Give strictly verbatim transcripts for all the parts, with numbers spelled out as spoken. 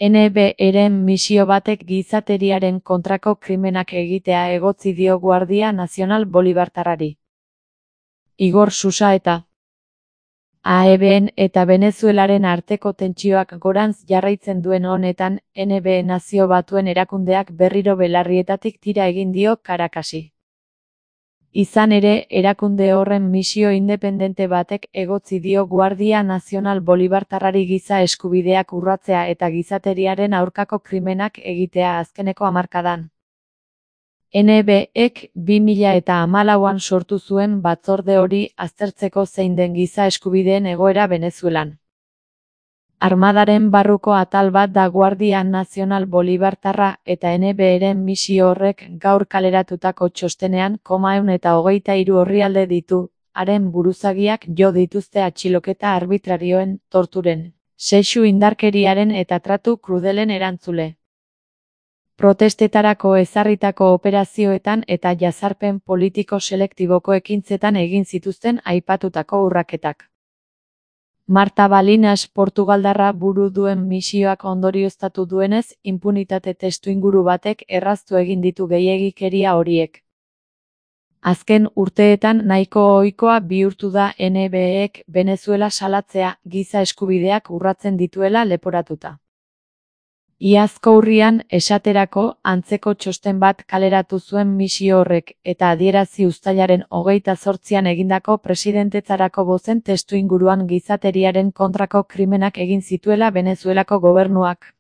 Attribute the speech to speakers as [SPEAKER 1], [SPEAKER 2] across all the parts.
[SPEAKER 1] N B Eren misio batek gizateriaren kontrako krimenak egitea egotzi dio Guardia Nazional Bolibartarrari. Igor Susaeta. A E B-en eta Venezuelaren arteko tentsioak gorantz jarraitzen duen honetan, N B Nazio Batuen erakundeak berriro belarrietatik tira egin dio Caracasi. Izan ere, erakunde horren misio independente batek egotzi dio Guardia Nazional Bolibartarrari giza eskubideak urratzea eta gizateriaren aurkako krimenak egitea azkeneko hamarkadan. N B-ek bi mila eta hamalauan sortu zuen batzorde hori aztertzeko zein den giza eskubideen egoera Venezuelan. Armadaren barruko atal bat da Guardia Nazional Bolibartarra eta N B-eren misio horrek gaur kaleratutako txostenean koma ehun eta hogeita hiru orrialde ditu, haren buruzagiak jo dituzte atxiloketa arbitrarioen, torturen, sexu indarkeriaren eta tratu krudelen erantzule. Protestetarako ezarritako operazioetan eta jazarpen politiko selektiboko ekintzetan egin zituzten aipatutako urraketak. Marta Balinas Portugaldarra buru duen misioak ondorioztatu duenez, inpunitate testuinguru batek erraztu egin ditu gehiegikeria horiek. Azken urteetan nahiko ohikoa bihurtu da N B-ek Venezuela salatzea giza eskubideak urratzen dituela leporatuta. Iazko urrian, esaterako, antzeko txosten bat kaleratu zuen misio horrek, eta adierazi uztailaren hogeita zortzian egindako presidentetzarako bozen testuinguruan gizateriaren kontrako krimenak egin zituela Venezuelako gobernuak.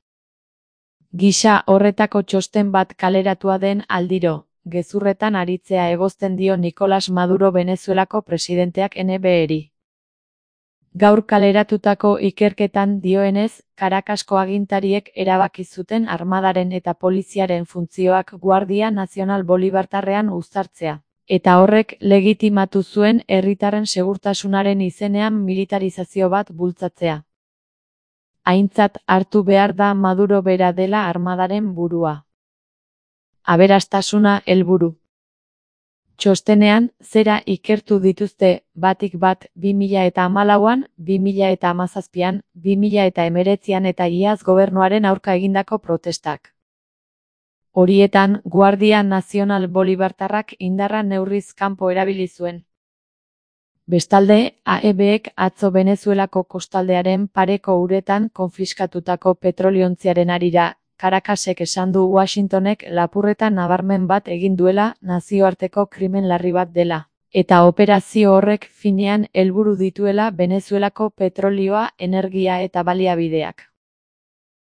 [SPEAKER 1] Gisa horretako txosten bat kaleratua den aldiro, gezurretan aritzea egozten dio Nicolás Maduro Venezuelako presidenteak N B-eri. Gaur kaleratutako ikerketan dioenez, Caracasko agintariek erabaki zuten armadaren eta poliziaren funtzioak Guardia Nazional Bolibartarrean uztartzea, eta horrek legitimatu zuen herritarren segurtasunaren izenean militarizazio bat bultzatzea. Aintzat hartu behar da Maduro bera dela armadaren burua. Aberastasuna helburu. Txostenean, zera ikertu dituzte, batik bat, bi mila eta hamalauan, bi mila eta hamazazpian, bi mila eta hemeretzian eta iaz gobernuaren aurka egindako protestak. Horietan, Guardia Nazional Bolibartarrak indarra neurriz kanpo erabili zuen. Bestalde, A E B-ek atzo Venezuelako kostaldearen pareko uretan konfiskatutako petroliontziaren harira, Caracasek esan du Washingtonek lapurreta nabarmen bat egin duela nazioarteko krimen larri bat dela, eta operazio horrek finean helburu dituela Venezuelako petrolioa, energia eta baliabideak.